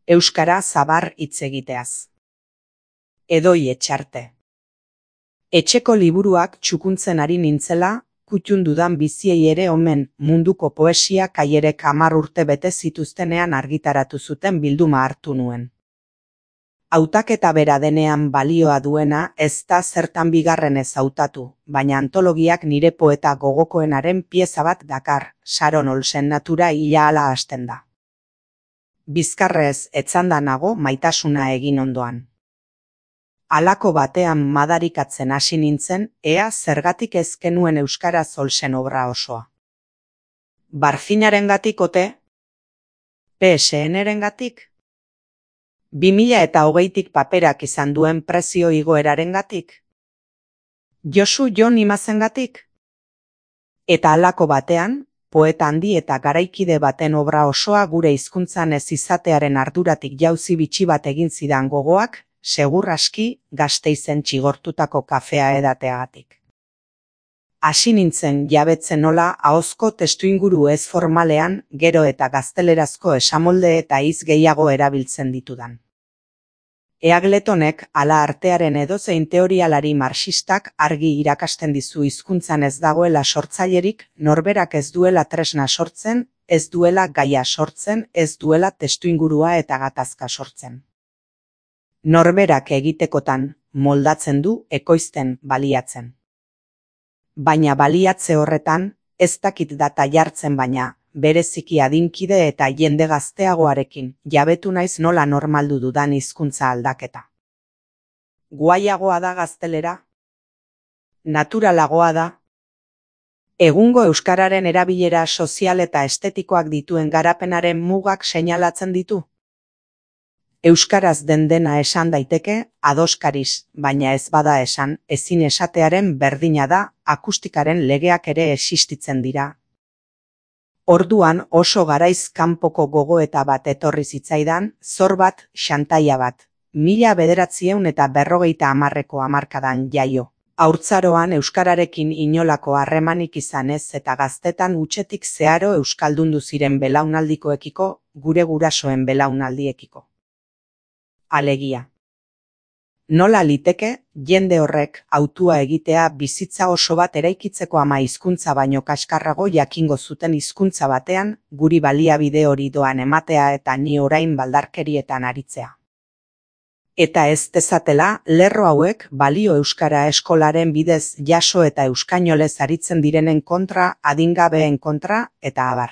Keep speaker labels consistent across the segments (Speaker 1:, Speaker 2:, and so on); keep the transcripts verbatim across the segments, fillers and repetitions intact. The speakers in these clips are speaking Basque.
Speaker 1: euskara zabar hitz egiteaz. Edoi Etxarte. Etxeko liburuak txukuntzen ari nintzela, kutun dudan biziei ere omen munduko poesia kaierek hamar urte bete zituztenean argitaratu zuten bilduma hartu nuen. Hautaketa bera denean balioa duena ez da zertan bigarrenez hautatu, baina antologiak nire poeta gogokoenaren pieza bat dakar, Sharon Olsen natura hila ala hasten da. Bizkarrez etzanda nago maitasuna egin ondoan. Halako batean madarikatzen hasi nintzen, ea zergatik ez genuen euskaraz Olsen obra osoa. Barfinarengatik ote? P S N-erengatik? bi mila eta hogeitik paperak izan duen prezio igoerarengatik? Josu Jon Imazengatik? Eta halako batean, poeta handi eta garaikide baten obra osoa gure hizkuntzan ez izatearen arduratik jauzi bitxi bat egin zidan gogoak, segur aski Gasteizen txigortutako kafea edateagatik. Hasi nintzen jabetzen nola ahozko testuinguru ez formalean gero eta gaztelerazko esamolde eta hitz gehiago erabiltzen ditudan. Eagletonek ala artearen edozein teorialari marxistak argi irakasten dizu hizkuntzan ez dagoela sortzailerik, norberak ez duela tresna sortzen, ez duela gaia sortzen, ez duela testuingurua eta gatazka sortzen. Norberak egitekotan moldatzen du ekoizten baliatzen. Baina baliatze horretan, ez dakit data jartzen baina, bereziki adinkide eta jende gazteagoarekin, jabetu naiz nola normaldu dudan hizkuntza aldaketa. Guaiagoa da gaztelera? Naturalagoa da? Egungo euskararen erabilera sozial eta estetikoak dituen garapenaren mugak seinalatzen ditu? Euskaraz den dena esan daiteke, adoskariz, baina ez bada esan, ezin esatearen berdina da, akustikaren legeak ere existitzen dira. Orduan oso garaiz kanpoko gogoeta bat etorri zitzaidan, zor bat, xantaia bat, mila bederatzieun eta berrogeita hamarreko hamarkadan jaio. Haurtzaroan euskararekin inolako harremanik izan ez eta gaztetan hutsetik zeharo euskaldundu ziren belaunaldikoekiko, gure gurasoen belaunaldiekiko. Alegia. Nola liteke, jende horrek hautua egitea bizitza oso bat eraikitzeko ama hizkuntza baino kaskarrago jakingo zuten hizkuntza batean, guri baliabide hori doan ematea eta ni orain baldarkerietan aritzea. Eta ez dezatela, lerro hauek balio euskara eskolaren bidez jaso eta euskainolez aritzen direnen kontra, adingabeen kontra, eta abar.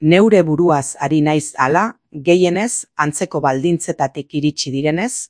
Speaker 1: Neure buruaz ari naiz hala, gehienez, antzeko baldintzetatik iritsi direnez,